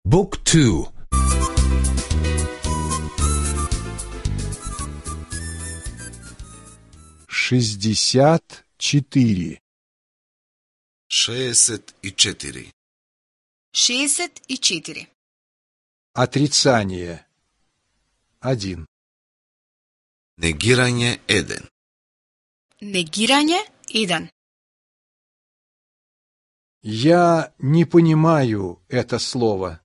Book 2. Шестьдесят четыре. 64. 64. Отрицание. 1. Негирање 1. Негирање 1. Я не понимаю это слово.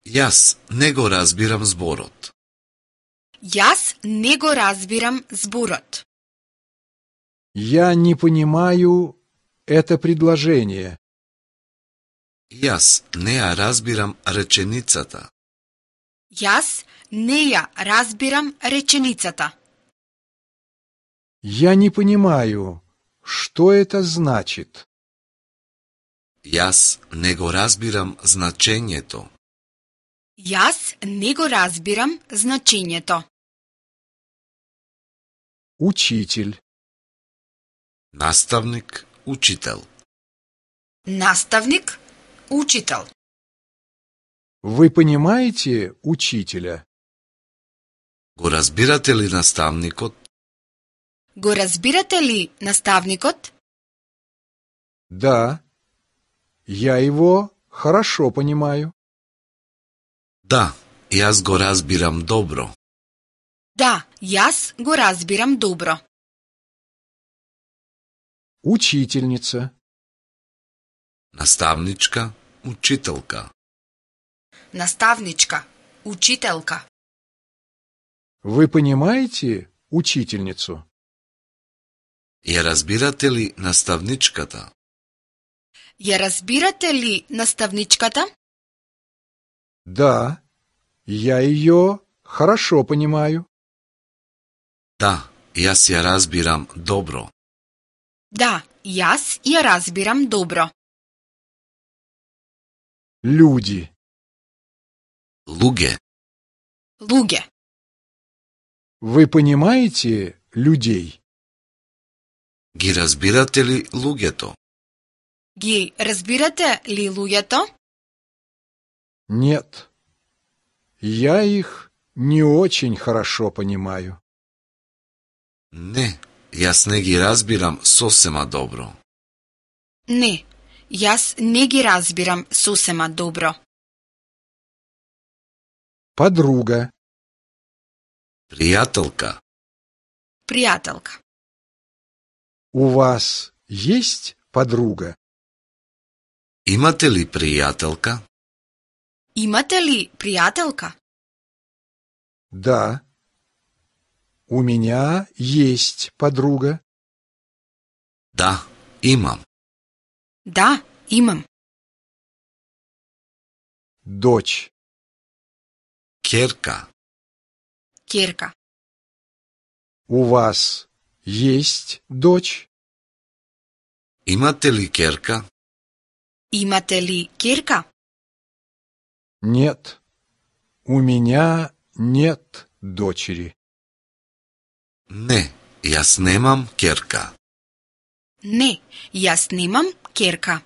Јас не го разбирам зборот. Јас не го разбирам зборот. Я не понимаю это предложение. Јас не ја разбирам реченицата. Јас не ја разбирам реченицата. Я не понимаю, что это значит. Јас не го разбирам значењето. Јас не го разбирам значењето. Учитель. Наставник, учител. Наставник, учител. Вы понимаете учителя? Го разбирате ли наставникот? Го разбирате ли наставникот? Да. Я его хорошо понимаю. Да, јас го разбирам добро. Да, јас го разбирам добро. Учительница. Наставничка, учителка. Наставничка, учителка. Вы понимаете учительницу? Ја разбирате ли наставничката? Ја разбирате ли наставничката? Да. Я ее хорошо понимаю. Да, јас ја разбирам добро. Да, јас ја разбирам добро. Люди. Луѓе. Луѓе. Вы понимаете людей? Ги разбирате ли луѓето? Ги разбирате ли луѓето? Нет. Я их не очень хорошо понимаю. Не, јас не ги разбирам сосема добро. Не, јас не ги разбирам сосема добро. Подруга. Пријателка. Пријателка. У вас есть подруга? Имате ли пријателка? Имате ли пријателка? Да. У меня есть подруга. Да, имам. Да, имам. Дочь. Ќерка. Ќерка. У вас есть дочь? Имате ли ќерка? Имате ли ќерка? Нет. У меня нет дочери. Не, јас немам ќерка. Не, јас немам ќерка.